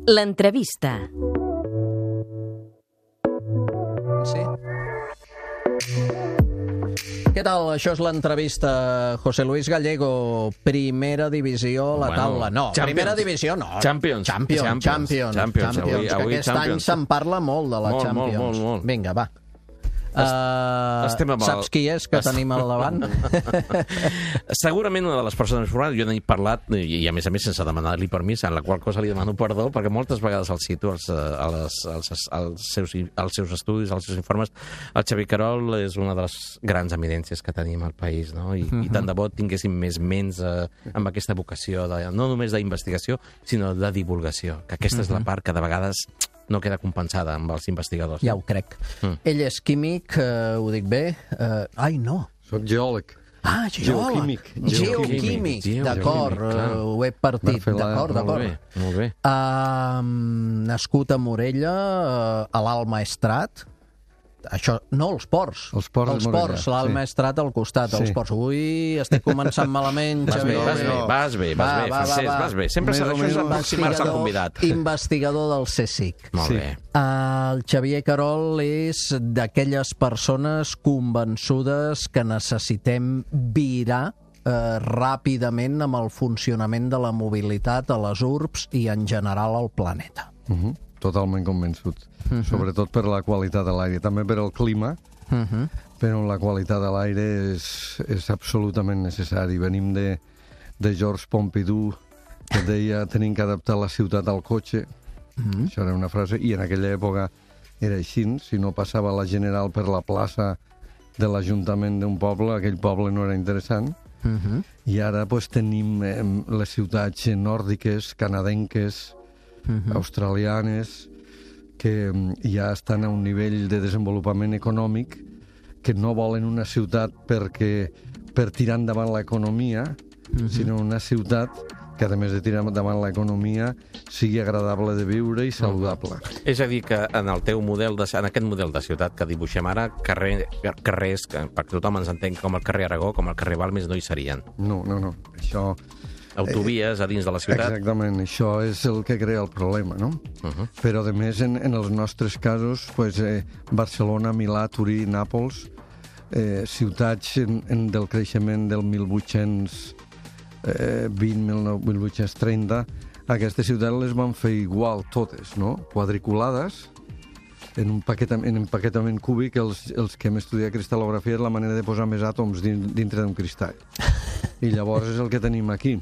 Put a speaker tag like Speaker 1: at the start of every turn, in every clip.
Speaker 1: L'entrevista.
Speaker 2: Sí. Què tal? Això és l'entrevista. José Luis Gallego, primera divisió a la taula. No, primera divisió no.
Speaker 3: Champions.
Speaker 2: Que aquest any se'n parla molt de la Champions.
Speaker 3: Molt.
Speaker 2: Vinga, va.
Speaker 3: Estem amb
Speaker 2: saps qui és que tenim al davant?
Speaker 3: Segurament una de les persones formades, jo n'he parlat, i a més sense demanar-li permís, en la qual cosa li demano perdó, perquè moltes vegades el cito als seus estudis, als seus informes. El Xavier Querol és una de les grans eminències que tenim al país, no? I tant de bo tinguéssim més ments amb aquesta vocació, no només d'investigació, sinó de divulgació, que aquesta és la part que de vegades no queda compensada amb els investigadors.
Speaker 2: Ja ho crec. Ell és químic, ho dic bé? Ai, no.
Speaker 4: Soc geòleg.
Speaker 2: Ah, geòleg. Geoquímic. D'acord, ho he partit. D'acord.
Speaker 3: Molt bé.
Speaker 2: Nascut a Morella, a l'Alt Maestrat. Això, no, els ports.
Speaker 4: Els ports,
Speaker 2: l'Alt Maestrat al costat. Els ports. Ui, estic començant malament, Xavier.
Speaker 3: Vas bé. Sempre això és aproximar-se al convidat.
Speaker 2: Investigador del CSIC.
Speaker 3: Molt bé.
Speaker 2: El Xavier Querol és d'aquelles persones convençudes que necessitem virar ràpidament amb el funcionament de la mobilitat a les urbs i en general al planeta.
Speaker 4: Totalment convençut. Sobretot per la qualitat de l'aire, també per el clima, però la qualitat de l'aire és absolutament necessari. Venim de Georges Pompidou, que deia tenim que adaptar la ciutat al cotxe. Això era una frase, i en aquella època era així. Si no passava la General per la plaça de l'Ajuntament d'un poble, aquell poble no era interessant. I ara tenim les ciutats nòrdiques, canadenques, australianes, que ja estan a un nivell de desenvolupament econòmic que no volen una ciutat per tirar endavant l'economia, sinó una ciutat que, a més de tirar endavant l'economia, sigui agradable de viure i saludable.
Speaker 3: És a dir, que en el teu model, en aquest model de ciutat que dibuixem ara, carrers, perquè tothom ens entén com el carrer Aragó, com el carrer Balmes, no hi serien.
Speaker 4: No. Això...
Speaker 3: Autovies a dins de la ciutat.
Speaker 4: Exactament, això és el que crea el problema, no? Però, a més, en els nostres casos, Barcelona, Milà, Turí, Nàpols, ciutats del creixement del 1820-1830, aquestes ciutats les van fer igual totes, no? Quadriculades, en empaquetament cúbic. Els que hem estudiat cristal·lografia és la manera de posar més àtoms dintre d'un cristall. I llavors és el que tenim aquí.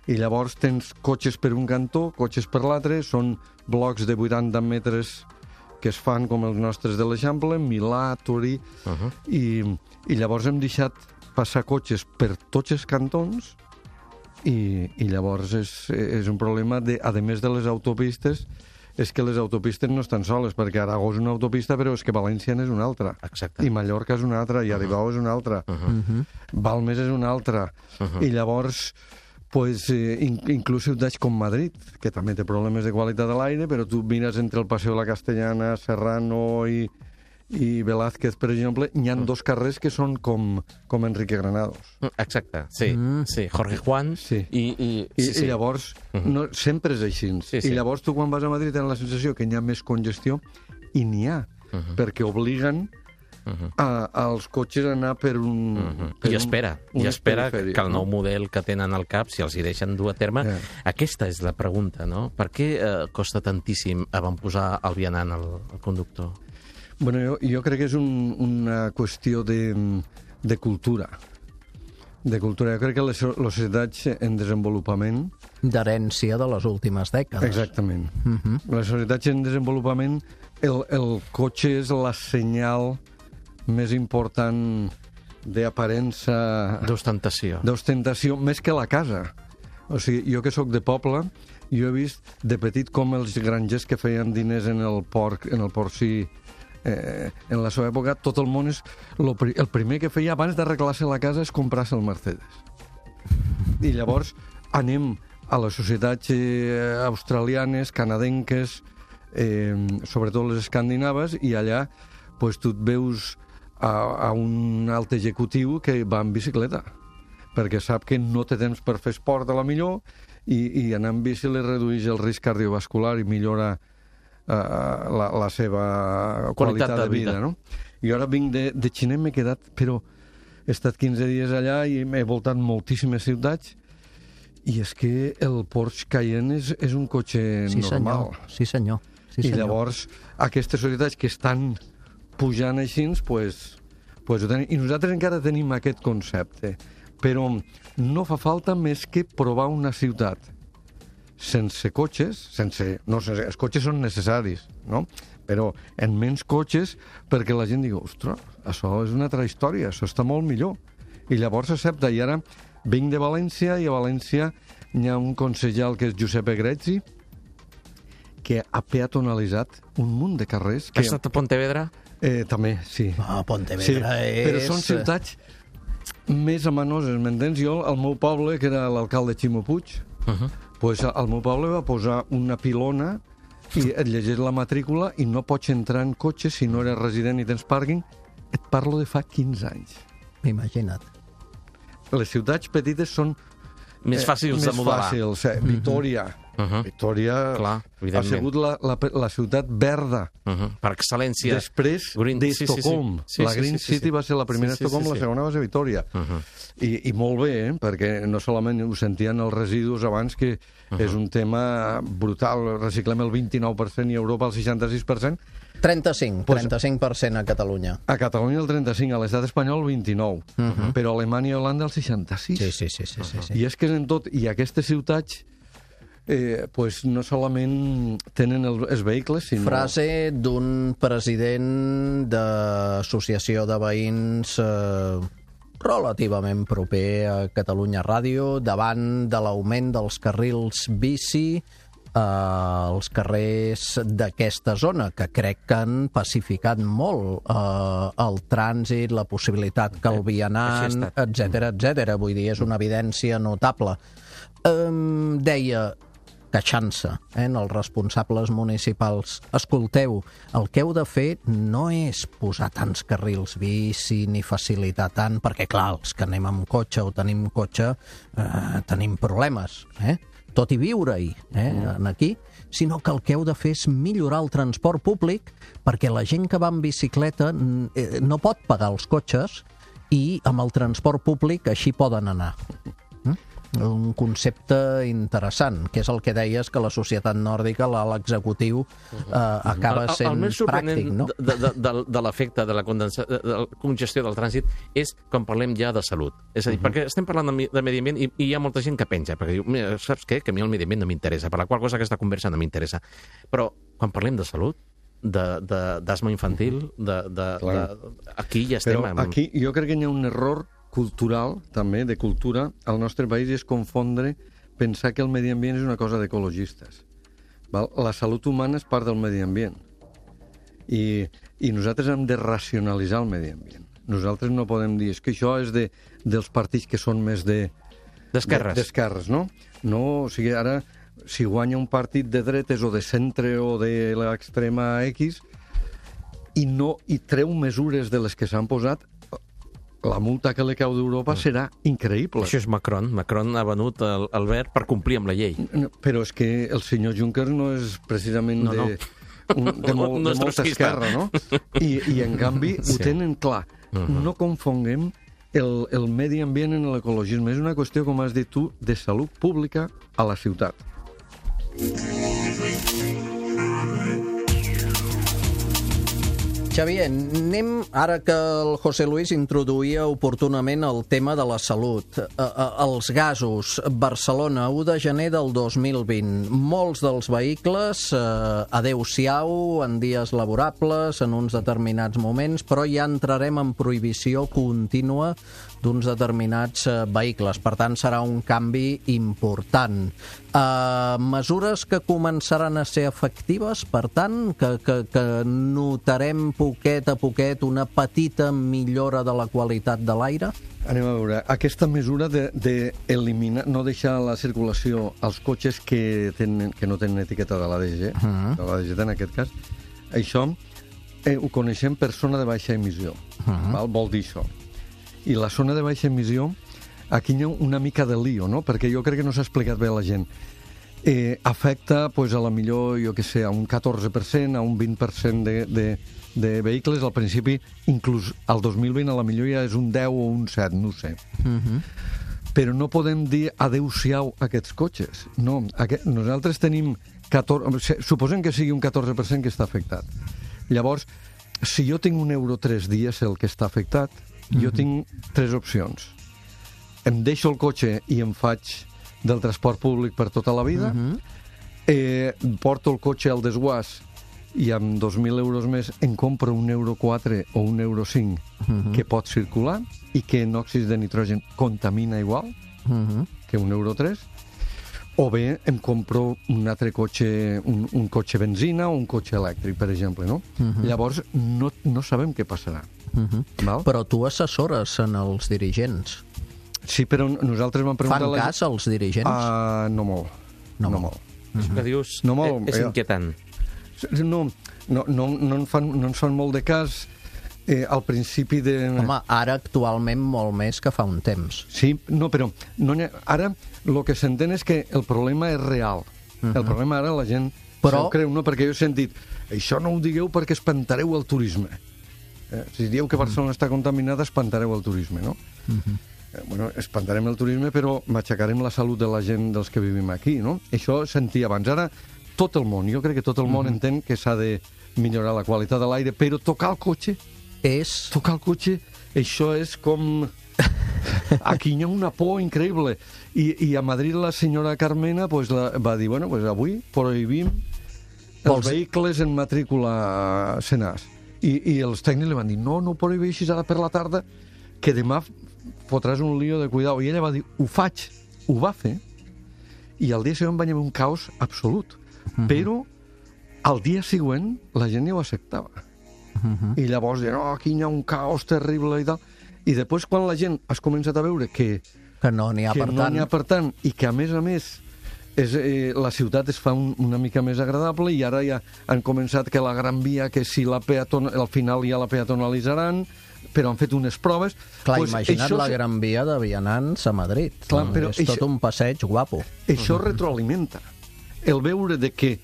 Speaker 4: I llavors tens cotxes per un cantó, cotxes per l'altre, són blocs de 80 metres que es fan com els nostres de l'Eixample, Milà, Turí, i llavors hem deixat passar cotxes per tots els cantons, i llavors és un problema, a més de les autopistes, és que les autopistes no estan soles, perquè Aragó és una autopista, però és que València és una altra.
Speaker 3: Exacte.
Speaker 4: I Mallorca és una altra, i Aribau és una altra. Balmes és una altra. I llavors, inclús ciutats com Madrid, que també té problemes de qualitat de l'aire, però tu mires entre el Paseo de la Castellana, Serrano i Velázquez, per exemple, hi ha dos carrers que són com Enrique Granados.
Speaker 3: Exacte, sí. Jorge Juan.
Speaker 4: I llavors, sempre és així. I llavors tu quan vas a Madrid tens la sensació que hi ha més congestió, i n'hi ha, perquè obliguen als cotxes a anar per un...
Speaker 3: I espera que el nou model que tenen al cap, si els hi deixen dur a terme, aquesta és la pregunta, no? Per què costa tantíssim avantposar el vianant al conductor?
Speaker 4: Bueno, jo crec que és una qüestió de cultura. De cultura. Jo crec que les societats en desenvolupament...
Speaker 2: D'herència de les últimes dècades.
Speaker 4: Exactament. Les societats en desenvolupament, el cotxe és la senyal més important d'aparença...
Speaker 3: D'ostentació,
Speaker 4: més que la casa. O sigui, jo que sóc de poble, jo he vist de petit com els grangers que feien diners en el porcí, en la seva època, tot el món el primer que feia abans d'arreglar-se la casa és comprar-se el Mercedes. I llavors anem a les societats australianes, canadenques, sobretot les escandinaves, i allà tu et veus a un alt executiu que va en bicicleta, perquè sap que no té temps per fer esport a la millor i anar amb bici li redueix el risc cardiovascular i millora la seva qualitat de vida, no? I ara vinc de Xina, m'he quedat, però he estat 15 dies allà i m'he voltat moltíssimes ciutats i és que el Porsche Cayenne és un cotxe normal.
Speaker 2: Sí, senyor.
Speaker 4: I llavors aquestes societats que estan pujant així, pues ho tenim. I nosaltres encara tenim aquest concepte, però no fa falta més que provar una ciutat sense cotxes, els cotxes són necessaris, no? Però en menys cotxes perquè la gent digui, ostres, això és una altra història, això està molt millor. I llavors s'accepta. I ara vinc de València i a València hi ha un consellal que és Giuseppe Grezzi que ha peatonalitzat un munt de carrers.
Speaker 3: Has estat a Pontevedra?
Speaker 4: També, sí.
Speaker 2: Pontevedra és...
Speaker 4: Però són ciutats més amenoses, m'entens? Jo, al meu poble, que era l'alcalde Ximo Puig, pues al meu poble va posar una pilona i et llegeix la matrícula i no pots entrar en cotxe si no eres resident i tens pàrquing. Et parlo de fa 15 anys.
Speaker 2: Imagina't.
Speaker 4: Les ciutats petites són
Speaker 3: més fàcils de modelar.
Speaker 4: Més fàcils. Vitòria. Vitòria ha sigut la ciutat verda.
Speaker 3: Per excel·lència.
Speaker 4: Després d'Estocolm. La Green City va ser la primera Estocolm, la segona va ser Vitòria. I molt bé, perquè no solament ho sentien els residus abans, que és un tema brutal. Reciclem el 29% i a Europa el 66%.
Speaker 2: 35% a Catalunya.
Speaker 4: A Catalunya el 35%, a l'estat espanyol el 29%, però a Alemanya i Holanda el 66%.
Speaker 2: Sí.
Speaker 4: I és que en tot, i aquestes ciutats pues no solament tenen els vehicles, sinó...
Speaker 2: Frase d'un president d'associació de veïns relativament proper a Catalunya Ràdio, davant de l'augment dels carrils bici als carrers d'aquesta zona, que crec que han pacificat molt el trànsit, la possibilitat que el vianant, etc. Vull dir, és una evidència notable. Deia, queixant-se, els responsables municipals, escolteu, el que heu de fer no és posar tants carrils bici ni facilitar tant, perquè clar, els que anem amb cotxe o tenim cotxe tenim problemes, tot i viure-hi, aquí, sinó que el que heu de fer és millorar el transport públic perquè la gent que va en bicicleta no pot pagar els cotxes i amb el transport públic així poden anar. Un concepte interessant, que és el que deies que la societat nòrdica, l'executiu, acaba sent pràctic, no?
Speaker 3: El més sorprenent de l'efecte de la congestió del trànsit és quan parlem ja de salut. És a dir, perquè estem parlant de medi ambient i hi ha molta gent que penja, perquè diu, mira, saps què? Que a mi el medi ambient no m'interessa, per la qual cosa aquesta conversa no m'interessa. Però quan parlem de salut, d'asma infantil, aquí ja estem...
Speaker 4: Però aquí jo crec que hi ha un error cultural, també, de cultura, al nostre país és confondre, pensar que el medi ambient és una cosa d'ecologistes. La salut humana és part del medi ambient. I nosaltres hem de racionalitzar el medi ambient. Nosaltres no podem dir, és que això és dels partits que són més d'esquerres, no? No, o sigui, ara, si guanya un partit de dretes o de centre o de l'extrema X i treu mesures de les que s'han posat, la multa que li cau d'Europa serà increïble.
Speaker 3: Això és Macron. Macron ha venut el verd per complir amb la llei.
Speaker 4: Però és que el senyor Juncker no és precisament de molta esquerra, no? I en canvi ho tenen clar. No confonguem el medi ambient en l'ecologisme. És una qüestió, com has dit tu, de salut pública a la ciutat.
Speaker 2: Xavier, anem, ara que el José Luis introduïa oportunament el tema de la salut. Els gasos, Barcelona, 1 de gener del 2020. Molts dels vehicles, adeu-siau, en dies laborables, en uns determinats moments, però ja entrarem en prohibició contínua d'uns determinats vehicles. Per tant, serà un canvi important. Mesures que començaran a ser efectives, per tant, que notarem poquet a poquet una petita millora de la qualitat de l'aire?
Speaker 4: Anem a veure, aquesta mesura d'eliminar, no deixar la circulació als cotxes que no tenen etiqueta de l'ADG, de l'ADG en aquest cas, això ho coneixem per zona de baixa emissió. Vol dir això. I la zona de baixa emissió aquí hi ha una mica de lío, no? Perquè jo crec que no s'ha explicat bé a la gent. Afecta, pues, a la millor, jo què sé, a un 14%, a un 20% de vehicles. Al principi, inclús al 2020, a la millor ja és un 10 o un 7, no ho sé. Però no podem dir adeu-siau a aquests cotxes. No, nosaltres tenim 14... Suposem que sigui un 14% que està afectat. Llavors, si jo tinc un euro 3 dies el que està afectat, jo tinc 3 opcions. Em deixo el cotxe i em faig del transport públic per tota la vida, porto el cotxe al desguàs i amb 2.000 euros més em compro un euro 4 o un euro 5 que pot circular i que en òxids de nitrogen contamina igual que un euro 3, o bé em compro un altre cotxe, un cotxe benzina o un cotxe elèctric, per exemple, no? Llavors no sabem què passarà. Val?
Speaker 2: Però tu assessores en els dirigents.
Speaker 4: Sí, però nosaltres vam preguntar...
Speaker 2: Fan cas als dirigents?
Speaker 4: No molt. No molt.
Speaker 3: Això que dius
Speaker 4: No molt,
Speaker 3: és inquietant.
Speaker 4: No ens fan molt de cas al principi de...
Speaker 2: Home, ara actualment molt més que fa un temps.
Speaker 4: Sí, no, però ara el que s'entén és que el problema és real. El problema ara la gent
Speaker 2: Però...
Speaker 4: se'l creu, no? Perquè jo he sentit això no ho digueu perquè espantareu el turisme. Si dieu que Barcelona està contaminada, espantareu el turisme, no? Bueno, espantarem el turisme, però matxacarem la salut de la gent dels que vivim aquí, no? Això sentia abans. Ara, tot el món, jo crec que tot el món entén que s'ha de millorar la qualitat de l'aire, però tocar el cotxe... Tocar el cotxe, això és com... Aquí hi ha una por increïble. I a Madrid la senyora Carmena pues, va dir, bueno, pues avui prohibim els vehicles en matrícula senars. I els tècnics li van dir, no prohibeixis ara per la tarda, que demà fotràs un lío de cuidado. I ella va dir, ho faig. Ho va fer. I al dia següent va haver un caos absolut. Però al dia següent la gent ja ho acceptava. I llavors deien, aquí hi ha un caos terrible i tal. I després, quan la gent has començat a veure que
Speaker 2: no n'hi ha per tant
Speaker 4: i que, a més, la ciutat es fa una mica més agradable i ara ja han començat que la Gran Via, que si al final ja la peatonalitzaran, però han fet unes proves...
Speaker 2: Clar, pues imagina't la Gran Via de vianants a Madrid.
Speaker 4: Clar, però
Speaker 2: és tot un passeig guapo.
Speaker 4: Això retroalimenta. El veure que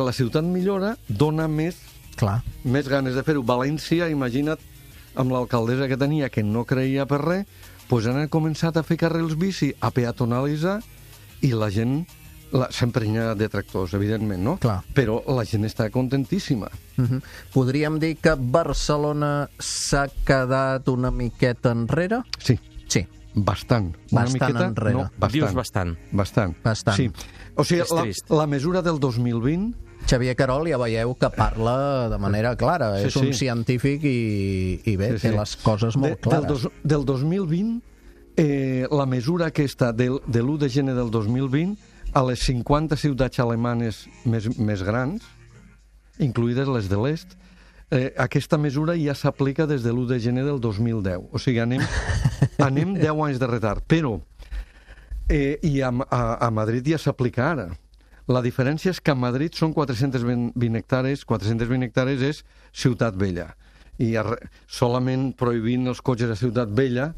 Speaker 4: la ciutat millora dona més ganes de fer-ho. València, imagina't, amb l'alcaldessa que tenia, que no creia per res, doncs han començat a fer carrils bici, a peatonalitzar, i la gent sempre hi ha detractors, evidentment, no?
Speaker 2: Clar.
Speaker 4: Però la gent està contentíssima.
Speaker 2: Podríem dir que Barcelona s'ha quedat una miqueta enrere?
Speaker 4: Sí. Bastant.
Speaker 2: Bastant enrere.
Speaker 4: No, bastant.
Speaker 3: Dius bastant.
Speaker 4: Bastant. Sí. O sigui, la mesura del 2020...
Speaker 2: Xavier Querol, ja veieu que parla de manera clara. És un científic i bé, té les coses molt clares.
Speaker 4: Del 2020, la mesura aquesta de l'1 de gener del 2020, a les 50 ciutats alemanes més grans, incluïdes les de l'est, aquesta mesura ja s'aplica des de l'1 de gener del 2010. O sigui, anem 10 anys de retard. Però a Madrid ja s'aplica ara. La diferència és que a Madrid són 420 hectàrees. 420 hectàrees és Ciutat Vella. I solament prohibint els cotxes a Ciutat Vella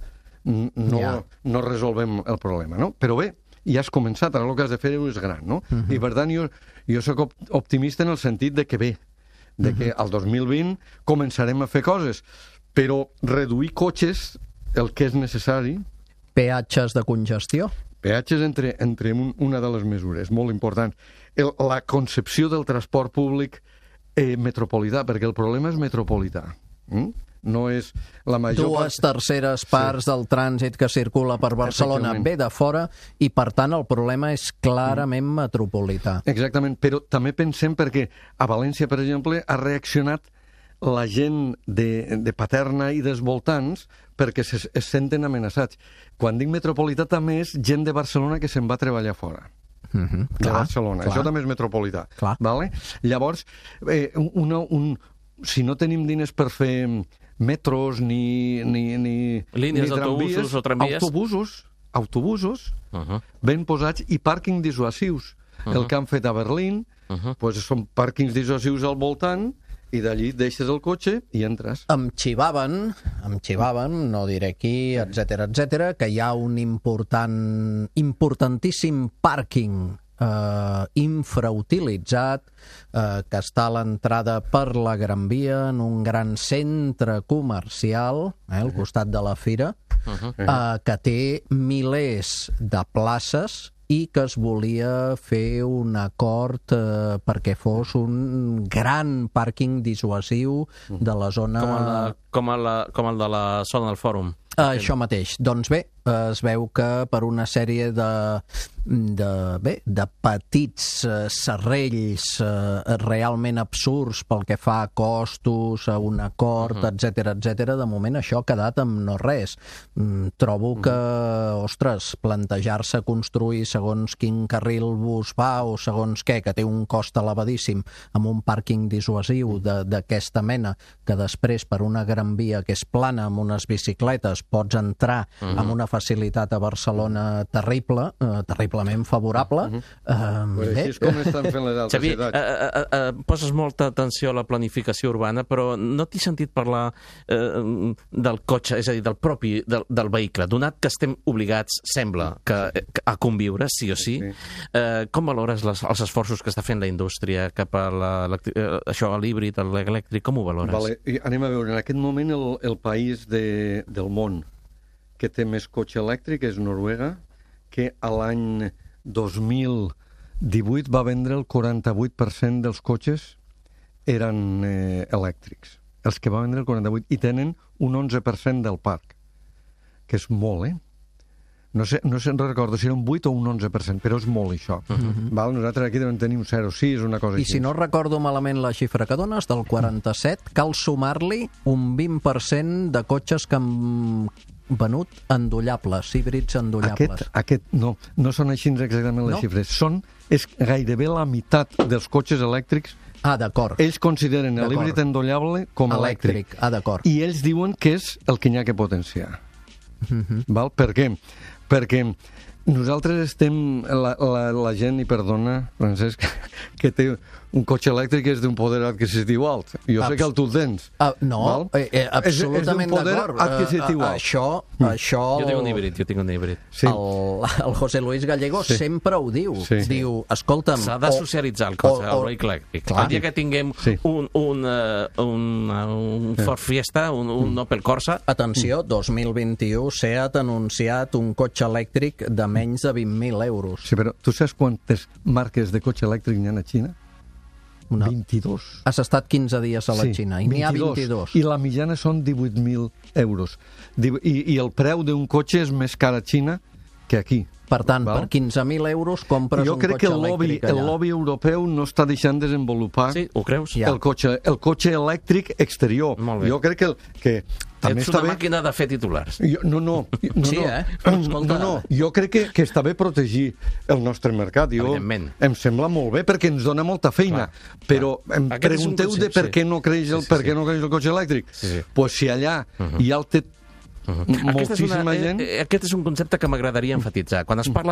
Speaker 4: no resolvem el problema, no? Però bé, ja has començat, ara el que has de fer és gran, no? I per tant, jo soc optimista en el sentit de que bé, que al 2020 començarem a fer coses, però reduir cotxes, el que és necessari...
Speaker 2: Peatges de congestió?
Speaker 4: Peatges entre una de les mesures, molt important. La concepció del transport públic metropolità, perquè el problema és metropolità. No és la major...
Speaker 2: 2/3 parts del trànsit que circula per Barcelona ve de fora i, per tant, el problema és clarament metropolità.
Speaker 4: Exactament, però també pensem perquè a València, per exemple, ha reaccionat la gent de Paterna i dels voltants perquè es senten amenaçats. Quan dic metropolità també és gent de Barcelona que se'n va a treballar fora. De Barcelona. Això també és metropolità. Vale? Llavors, si no tenim diners per fer metros ni
Speaker 3: línies d'autobusos o tramvies,
Speaker 4: autobusos ben posats i pàrquing dissuasius. El que han fet a Berlín són pàrquings dissuasius al voltant I d'allí deixes el cotxe i entres.
Speaker 2: Em xivaven, no diré qui, etc, que hi ha un importantíssim pàrquing infrautilitzat que està a l'entrada per la Gran Via en un gran centre comercial al costat de la fira que té milers de places i que es volia fer un acord perquè fos un gran pàrquing dissuasiu de la zona...
Speaker 3: Com el de la zona del Fòrum.
Speaker 2: Això mateix. Doncs bé, es veu que per una sèrie de petits serrells realment absurds pel que fa a costos, a un acord, etc, de moment això ha quedat amb no res. Trobo que, ostres, plantejar-se construir segons quin carril bus va o segons què, que té un cost elevadíssim amb un pàrquing dissuasiu d'aquesta mena, que després per una gran via que és plana amb unes bicicletes pots entrar amb una facilitat a Barcelona terrible, terriblement favorable.
Speaker 4: Així és com estan fent les altres ciutats.
Speaker 3: Xavi, poses molta atenció a la planificació urbana, però no t'he sentit parlar del cotxe, és a dir, del vehicle. Donat que estem obligats, sembla, a conviure, sí o sí, com valores els esforços que està fent la indústria cap a l'híbrid, l'elèctric, com ho valores?
Speaker 4: Vale. Anem a veure, en aquest moment el país del món que té més cotxe elèctric és Noruega, que a l'any 2018 va vendre el 48% dels cotxes eren elèctrics. Els que va vendre el 48%, i tenen un 11% del parc, que és molt, No se'n recordo si era un 8 o un 11%, però és molt, això. Nosaltres aquí devem tenir un 0,6, una cosa així.
Speaker 2: I si no recordo malament la xifra que dones, del 47, cal sumar-li un 20% de cotxes que han venut endollables, híbrids endollables.
Speaker 4: No són així exactament les xifres. És gairebé la meitat dels cotxes elèctrics.
Speaker 2: D'acord.
Speaker 4: Ells consideren l'híbrid endollable com elèctric.
Speaker 2: D'acord.
Speaker 4: I ells diuen que és el que n'hi ha que potenciar. Val? Per què? Perquè nosaltres estem, la gent, i perdona, Francesc, que té un cotxe elèctric és d'un poder adquisitiu alt. Jo sé que el tu el tens.
Speaker 2: No, absolutament d'acord.
Speaker 4: És d'un poder adquisitiu alt.
Speaker 2: Això...
Speaker 3: Jo tinc un híbrid.
Speaker 2: Sí. El José Luis Gallego sempre ho diu.
Speaker 4: Sí.
Speaker 2: Diu, escolta'm...
Speaker 3: S'ha de socialitzar el cotxe, el vehicle elèctric. El dia que tinguem un Ford Fiesta, un Opel Corsa...
Speaker 2: Atenció, 2021 SEAT ha anunciat un cotxe elèctric de menys de 20.000 euros.
Speaker 4: Sí, però tu saps quantes marques de cotxe elèctric n'hi ha a Xina? 22.
Speaker 2: Has estat 15 dies a la Xina i n'hi ha 22.
Speaker 4: I la mitjana són 18.000 euros. I el preu d'un cotxe és més car a Xina que aquí.
Speaker 2: Per tant, per 15.000 euros compres un cotxe elèctric allà.
Speaker 4: Jo crec que el lobby europeu no està deixant desenvolupar el cotxe elèctric exterior. Jo crec que també
Speaker 3: ets una màquina de fer titulars.
Speaker 4: No. Jo crec que està bé protegir el nostre mercat. Em sembla molt bé perquè ens dona molta feina. Però em pregunteu de per què no creix el cotxe elèctric. Doncs si allà hi ha moltíssima gent...
Speaker 3: Aquest és un concepte que m'agradaria enfatitzar. Quan es parla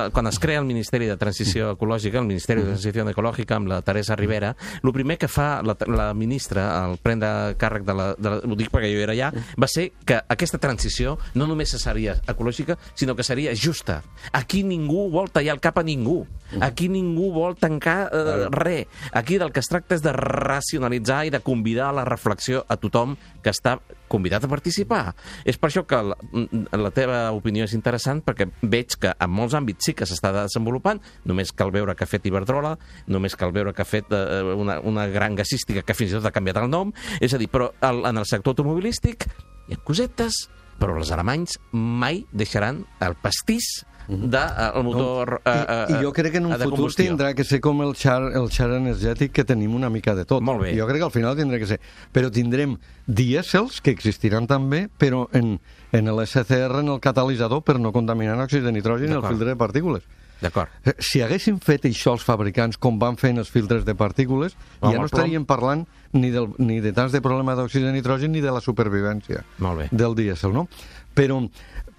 Speaker 3: quan es crea el Ministeri de Transició Ecològica, el Ministeri de Transició Ecològica amb la Teresa Rivera, el primer que fa la ministra al prendre càrrec ho dic perquè jo era allà, va ser que aquesta transició no només seria ecològica, sinó que seria justa. Aquí ningú vol tallar el cap a ningú. Aquí ningú vol tancar res. Aquí del que es tracta és de racionalitzar i de convidar a la reflexió a tothom que està convidat a participar. És per això que la teva opinió és interessant, perquè veig que en molts àmbits sí que s'està desenvolupant, només cal veure que ha fet Iberdrola, només cal veure que ha fet una gran gasística que fins i tot ha canviat el nom, és a dir, però en el sector automobilístic hi ha cosetes, però els alemanys mai deixaran el pastís del motor de combustió.
Speaker 4: I jo crec que en un futur tindrà que ser com el xar energètic, que tenim una mica de tot.
Speaker 3: Molt bé.
Speaker 4: Jo crec que al final tindrà que ser. Però tindrem dièsels, que existiran també, però en l'SCR, en el catalitzador, per no contaminar l'òxid de nitrogen i el filtre de partícules.
Speaker 3: D'acord.
Speaker 4: Si haguessin fet això els fabricants com van fer en els filtres de partícules, ja no estaríem parlant ni de tants de problema d'òxid de nitrogen ni de la supervivència del dièsel, no?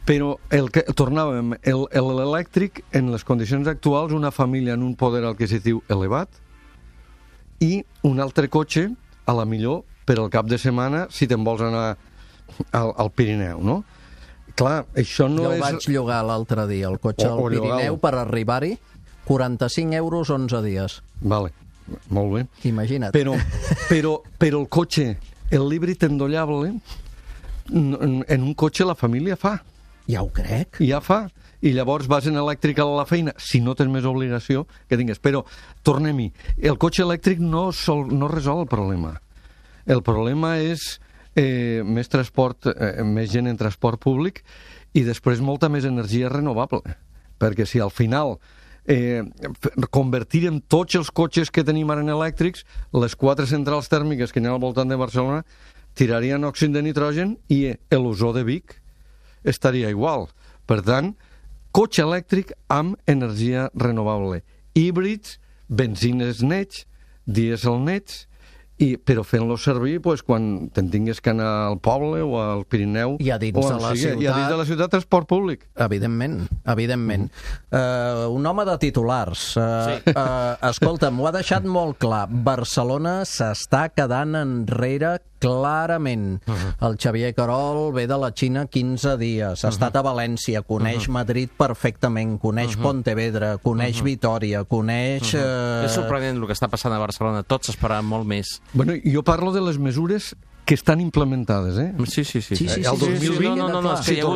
Speaker 4: Però tornàvem, l'elèctric, en les condicions actuals, una família en un poder adquisitiu elevat i un altre cotxe a la millor per al cap de setmana si te'n vols anar al Pirineu, no? Clar, això no
Speaker 2: Jo
Speaker 4: és...
Speaker 2: el vaig llogar l'altre dia, el cotxe al Pirineu, per arribar-hi, 45 euros 11 dies.
Speaker 4: Vale, molt bé.
Speaker 2: Imagina't.
Speaker 4: Però el cotxe, el l'híbrid endollable, en un cotxe la família fa.
Speaker 2: Ja ho crec.
Speaker 4: Ja fa. I llavors vas en elèctric a la feina, si no tens més obligació que tingues. Però, tornem-hi, el cotxe elèctric no resol el problema. El problema és més transport, més gent en transport públic i després molta més energia renovable. Perquè si al final convertirem tots els cotxes que tenim ara en elèctrics, les 4 centrals tèrmiques que hi ha al voltant de Barcelona tirarien òxid de nitrogen i l'ozó de Vic estaria igual. Per tant, cotxe elèctric amb energia renovable. Híbrids, benzines nets, dièsel nets, però fent-lo servir quan te'n tingues que anar al poble o al Pirineu
Speaker 2: i a dins de la ciutat.
Speaker 4: I a dins de la ciutat, transport públic.
Speaker 2: Evidentment. Un home de titulars. Escolta, m'ho ha deixat molt clar. Barcelona s'està quedant enrere clarament. El Xavier Querol ve de la Xina 15 dies, ha estat a València, coneix Madrid perfectament, coneix Pontevedra, coneix Vitòria, coneix...
Speaker 3: És sorprenent el que està passant a Barcelona, tots esperaven molt més.
Speaker 4: Bueno, jo parlo de les mesures que estan implementades, eh?
Speaker 3: Sí.
Speaker 4: El 2020...
Speaker 3: No, és que hi ha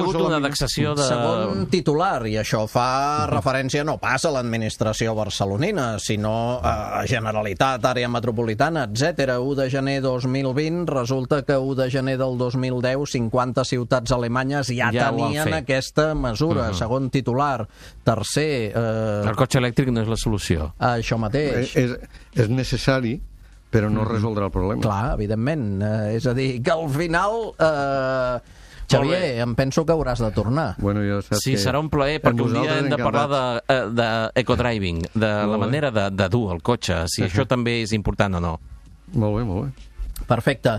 Speaker 3: hagut una indexació de...
Speaker 2: Segon titular, i això fa referència no pas a l'administració barcelonina, sinó a Generalitat, àrea metropolitana, etc. 1 de gener 2020, resulta que 1 de gener del 2010 50 ciutats alemanyes ja tenien aquesta mesura. Segon titular. Tercer...
Speaker 3: El cotxe elèctric no és la solució.
Speaker 2: Això mateix.
Speaker 4: És necessari, però no resoldrà el problema.
Speaker 2: Clar, evidentment. És a dir, que al final... Xavier, em penso que hauràs de tornar.
Speaker 4: Bueno,
Speaker 3: sí, serà un plaer, perquè un dia hem de parlar d'ecodriving, de la manera de dur el cotxe, si això també és important o no.
Speaker 4: Molt bé.
Speaker 2: Perfecte.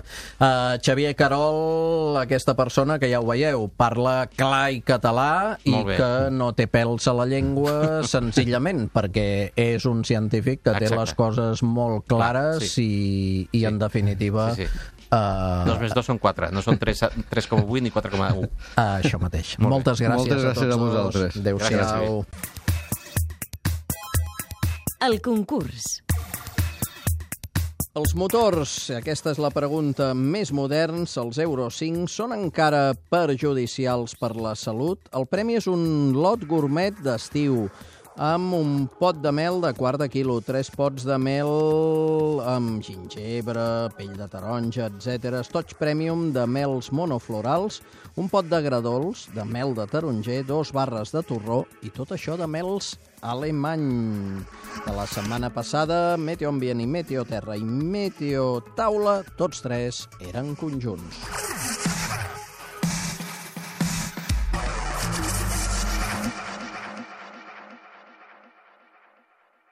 Speaker 2: Xavier Querol, aquesta persona que ja ho veieu, parla clar i català i que no té pèls a la llengua senzillament perquè és un científic que té les coses molt clares i en definitiva...
Speaker 3: 2 més 2 són 4, no són 3,8 ni 4,1.
Speaker 2: Això mateix. Moltes gràcies a tots
Speaker 4: a vosaltres.
Speaker 2: Adéu-siau.
Speaker 1: El concurs.
Speaker 2: Els motors, aquesta és la pregunta més moderns, els Euro 5, són encara perjudicials per la salut? El premi és un lot gourmet d'estiu amb un pot de mel de quart de quilo, 3 pots de mel amb gingebre, pell de taronja, etc. Estoig premium de mels monoflorals, un pot de gra dolç, de mel de taronger, 2 barres de torró i tot això de mels alemany. De la setmana passada, Meteo Ambient i Meteo Terra i Meteo Taula, tots 3 eren conjunts.